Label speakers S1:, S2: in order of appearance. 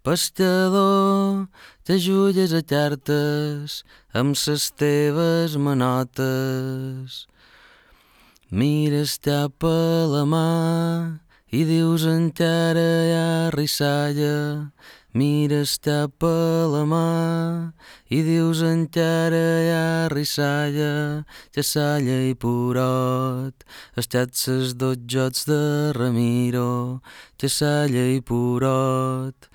S1: Pescador, t'ajulles a cartes amb ses teves manotes. Mires cap a la mà i dius encara hi ha rissalla. Mires cap a la mà i dius encara hi ha rissalla. Xassalla i Purot, estat ses dos jocs de Ramiro. Xassalla i Purot,